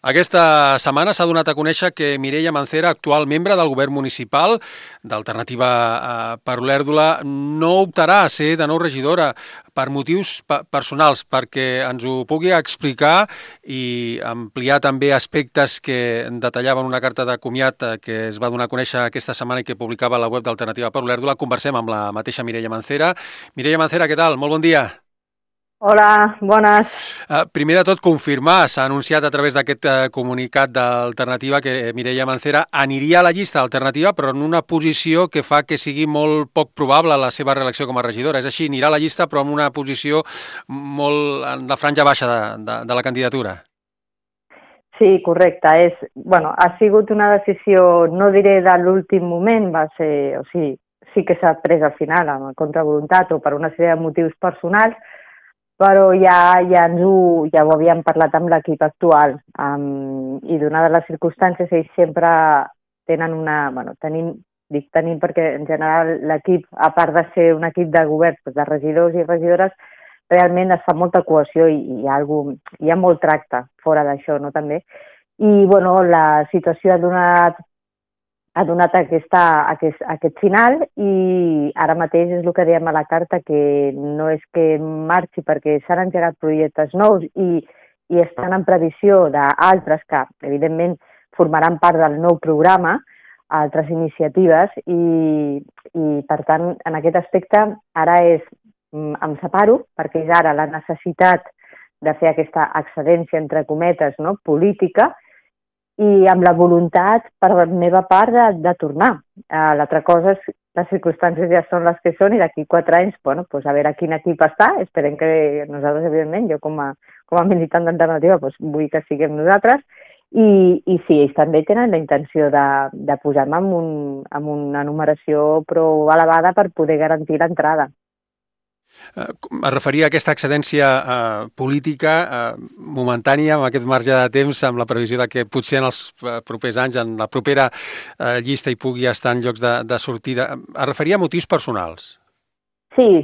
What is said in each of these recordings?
Aquesta setmana s'ha donat a conèixer que Mireia Mancera, actual membre del govern municipal d'Alternativa per Olèrdola, no optarà a ser de nou regidora per motius personals, perquè ens ho pugui explicar i ampliar també aspectes que detallaven una carta de comiat que es va donar a conèixer aquesta setmana i que publicava a la web d'Alternativa per Olèrdola. Conversem amb la mateixa Mireia Mancera. Mireia Mancera, què tal? Molt bon dia. Hola, bones. Primer de tot, confirmar, s'ha anunciat a través d'aquest comunicat d'Alternativa que Mireia Mancera aniria a la llista d'Alternativa, però en una posició que fa que sigui molt poc probable la seva reelecció com a regidora. És així, anirà a la llista, però en una posició molt en la franja baixa de la candidatura. Sí, correcte. Ha sigut una decisió, no diré de l'últim moment, sí que s'ha pres al final, amb contravoluntat o per una sèrie de motius personals, però ja ho havíem parlat amb l'equip actual i donades les circumstàncies ells sempre tenen tenim perquè en general l'equip, a part de ser un equip de govern de regidors i regidores, realment es fa molta cohesió i hi ha molt tracte fora d'això, no, també. I, la situació ha donat aquest final i ara mateix és el que dèiem a la carta, que no és que marxi perquè s'han engegat projectes nous i estan en previsió d'altres que, evidentment, formaran part del nou programa, altres iniciatives i per tant, en aquest aspecte, ara em separo perquè és ara la necessitat de fer aquesta excedència, entre cometes, no?, política, i amb la voluntat per la meva part de tornar. L'altra cosa és les circumstàncies ja són les que són i d'aquí 4 anys, a veure quin equip està. Esperem que nosaltres, evidentment, jo com a militant d'Alternativa, vull que siguem nosaltres i sí, ells també tenen la intenció de posar-me amb una numeració prou elevada per poder garantir l'entrada. Es referia a aquesta excedència política momentània, amb aquest marge de temps, amb la previsió de que potser en els propers anys, en la propera llista hi pugui estar en llocs de sortida. Es referia a motius personals? Sí.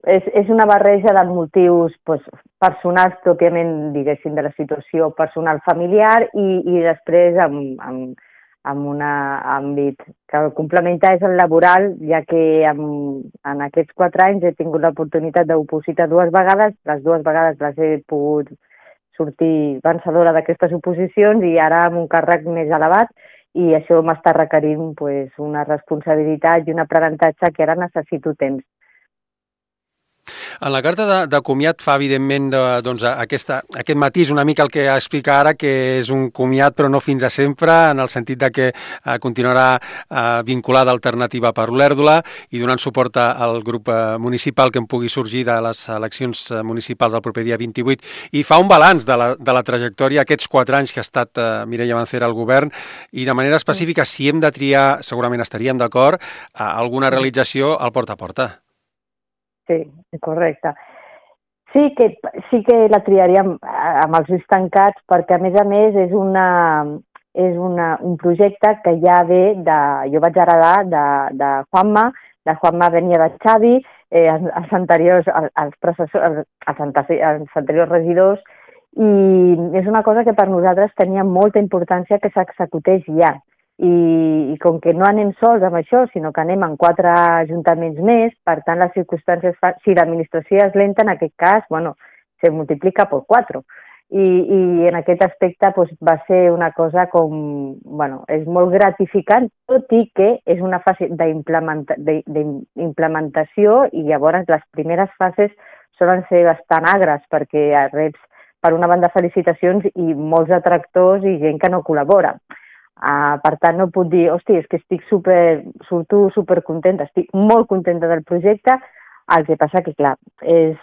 És una barreja de motius personals, pròpiament, diguéssim, de la situació personal familiar i després amb un àmbit que el complementa és el laboral, ja que en aquests 4 anys he tingut l'oportunitat d'opositar 2 vegades, les 2 vegades les he pogut sortir vencedora d'aquestes oposicions i ara amb un càrrec més elevat i això m'està requerint una responsabilitat i un aprenentatge que ara necessito temps. En la carta de comiat fa, evidentment, aquest matís, una mica el que explica ara, que és un comiat però no fins a sempre, en el sentit de que continuarà vinculada a Alternativa per Olèrdola i donant suport al grup municipal que en pugui sorgir de les eleccions municipals del proper dia 28. I fa un balanç de la trajectòria, aquests 4 anys que ha estat Mireia Mancera al govern, i de manera específica, si hem de triar, segurament estaríem d'acord, alguna realització al porta a porta. Sí, correcte. Sí que la triaríem amb els ulls tancats perquè, a més, és un projecte que ja ve jo vaig heredar de Juanma. De Juanma venia de Xavi, els anteriors regidors, i és una cosa que per nosaltres tenia molta importància que s'executés ja. I com que no anem sols amb això, sinó que anem en 4 ajuntaments més, per tant les circumstàncies, si l'administració és lenta, en aquest cas, se multiplica per 4. I en aquest aspecte va ser una cosa és molt gratificant, tot i que és una fase d'implementació i llavors les primeres fases solen ser bastant agres perquè reps, per una banda, felicitacions i molts detractors i gent que no col·labora. Per tant, no puc dir, és que surto supercontenta, estic molt contenta del projecte, el que passa que, clar, és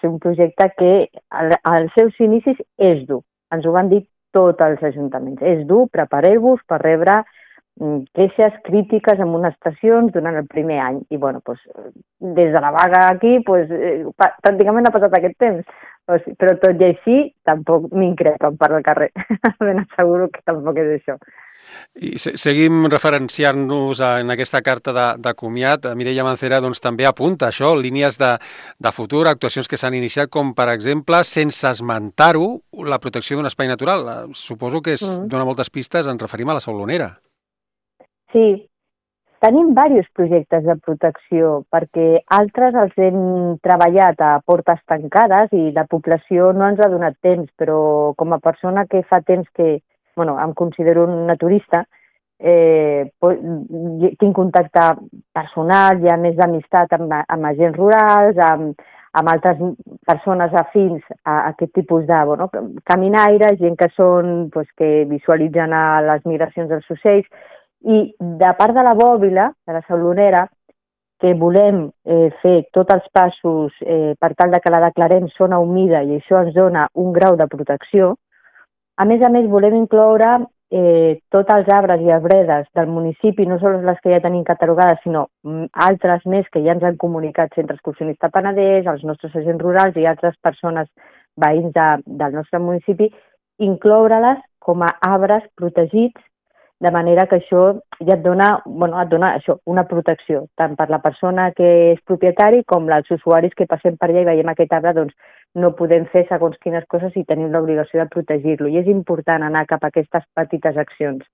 un projecte que als seus inicis és dur. Ens ho van dir tots els ajuntaments. És dur, prepareu-vos per rebre queixes, crítiques, amonestacions durant el primer any. I, des de la vaga aquí, pràcticament ha passat aquest temps. Però tot i així, tampoc m'increpen per al carrer. Ben asseguro que tampoc és això. I seguim referenciant-nos en aquesta carta de comiat. Mireia Mancera doncs, també apunta això, línies de futur, actuacions que s'han iniciat, com per exemple, sense esmentar-ho, la protecció d'un espai natural. Suposo que dona moltes pistes, ens referim a la Saulonera. Sí, tenim diversos projectes de protecció perquè altres els hem treballat a portes tancades i la població no ens ha donat temps, però com a persona que fa temps que em considero un naturista, tinc contacte personal, hi ha més d'amistat amb agents rurals, amb altres persones afins a aquest tipus de caminaires, gent que són que visualitzen les migracions dels ocells, i de part de la bòbila, de la Saulonera, que volem fer tots els passos per tal de que la declarem zona humida i això ens dona un grau de protecció. A més, volem incloure tots els arbres i arbredes del municipi, no sols les que ja tenim catalogades, sinó altres més que ja ens han comunicat Centre Excursionista Penedès, els nostres agents rurals i altres persones veïns del nostre municipi, incloure-les com a arbres protegits, de manera que això ja et dona una protecció, tant per la persona que és propietari com els usuaris que passem per allà i veiem aquest arbre, doncs no podem fer segons quines coses i tenim l'obligació de protegir-lo. I és important anar cap a aquestes petites accions.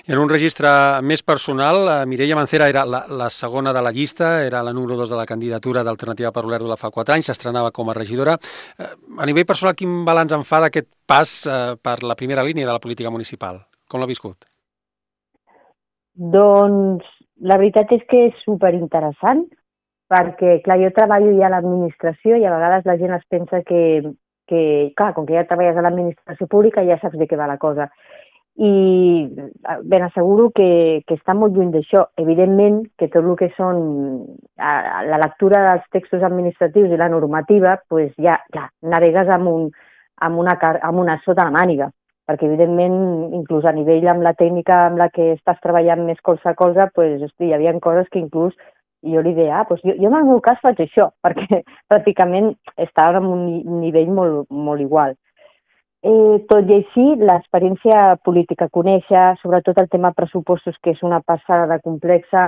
I en un registre més personal, Mireia Mancera era la segona de la llista, era la número 2 de la candidatura d'Alternativa per Olèrdola fa 4 anys, s'estrenava com a regidora. A nivell personal, quin balanç en fa d'aquest pas per la primera línia de la política municipal? Com l'ha viscut? Doncs la veritat és que és superinteressant, perquè, clar, jo treballo ja a l'administració i a vegades la gent es pensa que clar, com que ja treballes a l'administració pública ja saps de què va la cosa. I ben asseguro que està molt lluny d'això. Evidentment que tot el que són la lectura dels textos administratius i la normativa, doncs ja, clar, navegues amb una sota la màniga, perquè evidentment, inclús a nivell amb la tècnica amb la que estàs treballant més colze a colze, hi havia coses que inclús jo li deia, jo en el meu cas faig això, perquè pràcticament estava en un nivell molt, molt igual. Tot i així, l'experiència política, conèixer sobretot el tema pressupostos, que és una passada de complexa,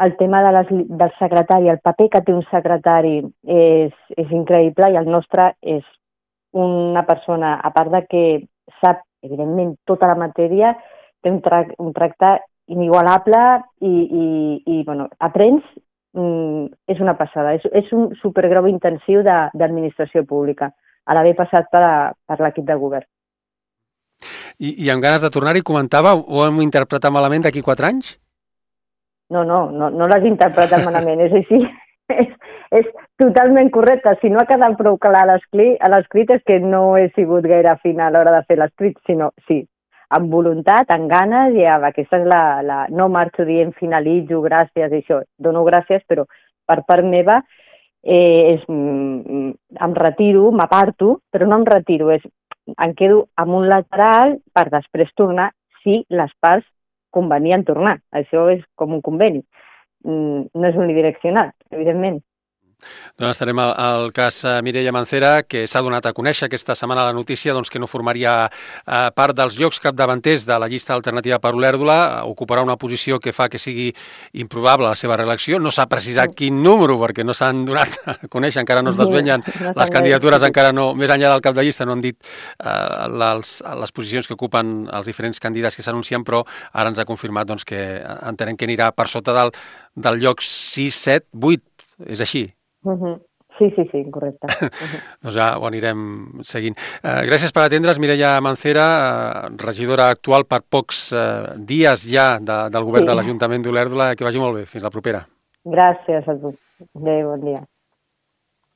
el tema del secretari, el paper que té un secretari és increïble i el nostre és una persona, a part de que sap, evidentment, tota la matèria, té un tracte inigualable i aprens, és una passada. És un supergrau intensiu d'administració pública, a l'haver passat per l'equip de govern. I amb ganes de tornar-hi, comentava, ho hem interpretat malament d'aquí 4 anys? No l'has interpretat malament, és així. És totalment correcte. Si no ha quedat prou clar a l'escrit és que no he sigut gaire fina a l'hora de fer l'escrit, sinó sí, amb voluntat, amb ganes, i aquesta és no marxo dient finalitzo, gràcies, i això. Dono gràcies, però per part meva em retiro, m'aparto, però no em retiro, em quedo amb un lateral per després tornar si les parts convenien tornar. Això és com un conveni. No és unidireccional, evidentment. Doncs estarem al cas Mireia Mancera, que s'ha donat a conèixer aquesta setmana la notícia que no formaria part dels llocs capdavanters de la llista alternativa per Olèrdola, ocuparà una posició que fa que sigui improbable la seva reelecció. No s'ha precisat quin número, perquè no s'han donat a conèixer, encara no es desvenyen les candidatures, encara no, més enllà del cap de llista, no han dit les posicions que ocupen els diferents candidats que s'anuncien, però ara ens ha confirmat que entenem que anirà per sota del lloc 6, 7, 8, és així? Sí, correcte. Doncs ja ho anirem seguint. Gràcies per atendre's, Mireia Mancera, regidora actual per pocs dies ja del govern de l'Ajuntament d'Olèrdola. Que vagi molt bé. Fins la propera. Gràcies a tu. Adéu, bon dia.